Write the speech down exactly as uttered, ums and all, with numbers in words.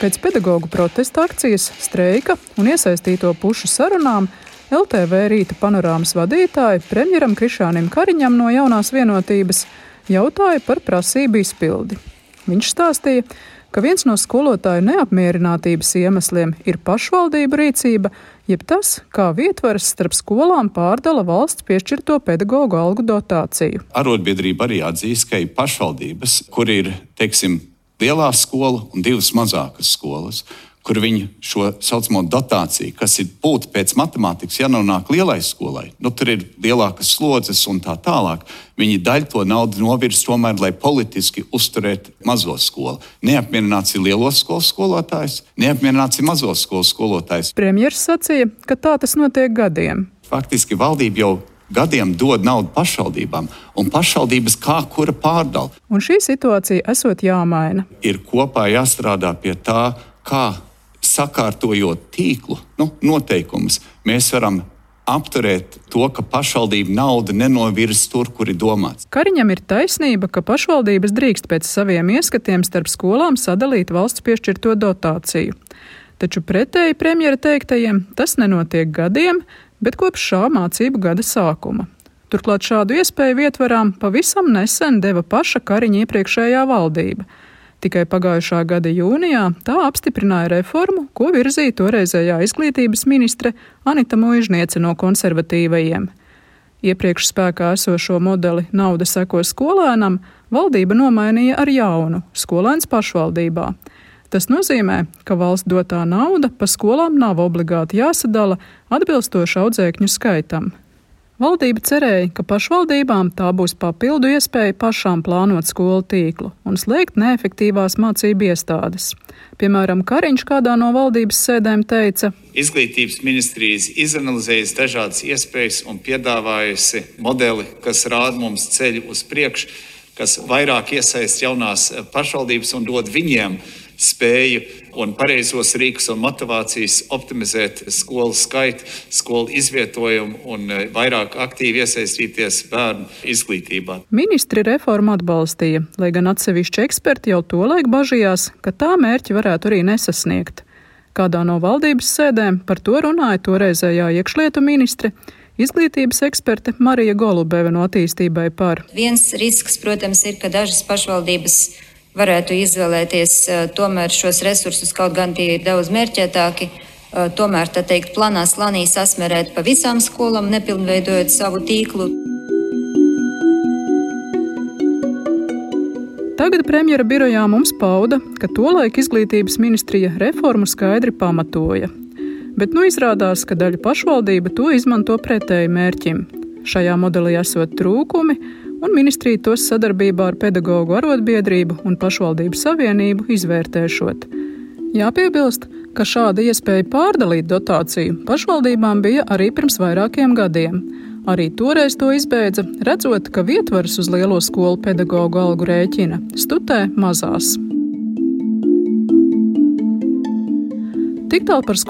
Pēc pedagogu protesta akcijas, streika un iesaistīto pušu sarunām L T V Rīta panorāmas vadītāji premjeram Krišjānim Kariņam no Jaunās vienotības jautāja par prasību izpildi. Viņš stāstīja, ka viens no skolotāju neapmierinātības iemesliem ir pašvaldību rīcība, jeb tas, kā vietvaras starp skolām pārdala valsts piešķirto pedagogu algu dotāciju. Arotbiedrība arī atzīst, ka ir pašvaldības, kur ir, teiksim, lielā skola un divas mazākas skolas, kur viņi šo saucamo dotāciju, kas ir būtu pēc matemātikas, ja nonāk lielai skolai, nu tur ir lielākas slodzes un tā tālāk, viņi daļu to naudu novirz tomēr, lai politiski uzturētu mazo skolu. Neapmierināts ir lielo skolu skolotājs, neapmierināts ir mazo skolu skolotājs. Premjers sacīja, ka tā tas notiek gadiem. Faktiski valdība jau gadiem dod naudu pašvaldībām, un pašvaldības kā kura pārdala. Un šī situācija esot jāmaina. Ir kopā jāstrādā pie tā, kā sakārtojot tīklu, nu, noteikumus, mēs varam apturēt to, ka pašvaldība nauda nenovirz tur, kur ir domāts. Kariņam ir taisnība, ka pašvaldības drīkst pēc saviem ieskatiem starp skolām sadalīt valsts piešķirto dotāciju. Taču pretēji premjera teiktajiem tas nenotiek gadiem, bet kopš šā mācību gada sākuma. Turklāt šādu iespēju vietvarām pavisam nesen deva paša Kariņa iepriekšējā valdība. Tikai pagājušā gada jūnijā tā apstiprināja reformu, ko virzīja toreizējā izglītības ministre Anita Muižniece no konservatīvajiem. Iepriekš spēkā esošo modeli nauda seko skolēnam valdība nomainīja ar jaunu - skolēns pašvaldībā. Tas nozīmē, ka valsts dotā nauda pa skolām nav obligāti jāsadala atbilstoši audzēkņu skaitam. Valdība cerēja, ka pašvaldībām tā būs papildu iespēja pašām plānot skolu tīklu un slēgt neefektīvās mācību iestādes. Piemēram, Kariņš kādā no valdības sēdēm teica: Izglītības ministrijas izanalizējusi dažādas iespējas un piedāvājusi modeli, kas rāda mums ceļu uz priekšu, kas vairāk iesaist jaunās pašvaldības un dod viņiem spēju un pareizos rīkus un motivācijas optimizēt skolu skaitu, skolu izvietojumu un vairāk aktīvi iesaistīties bērnu izglītībā. Ministri reformu atbalstīja, lai gan atsevišķi eksperti jau tolaik bažījās, ka tā mērķi varētu arī nesasniegt. Kādā no valdības sēdēm par to runāja toreizējā iekšlietu ministre, izglītības eksperte Marija Golubeve no Attīstībai par. Viens risks, protams, ir, ka dažas pašvaldības varētu izvēlēties tomēr šos resursus, kaut gan tie ir daudz mērķētāki, tomēr, tā teikt, planā slanī sasmērēt pa visām skolām, nepilnveidojot savu tīklu. Tagad premjera birojā mums pauda, ka tolaik izglītības ministrija reformu skaidri pamatoja. Bet nu izrādās, ka daļa pašvaldība to izmanto pretēji mērķim. Šajā modelī esot trūkumi, un ministrija tos sadarbībā ar pedagogu arotbiedrību un pašvaldību savienību izvērtēšot. Jāpiebilst, ka šāda iespēja pārdalīt dotāciju pašvaldībām bija arī pirms vairākiem gadiem. Arī toreiz to izbeidza, redzot, ka vietvaras uz lielo skolu pedagogu algu rēķina studē mazās. Tik tālu par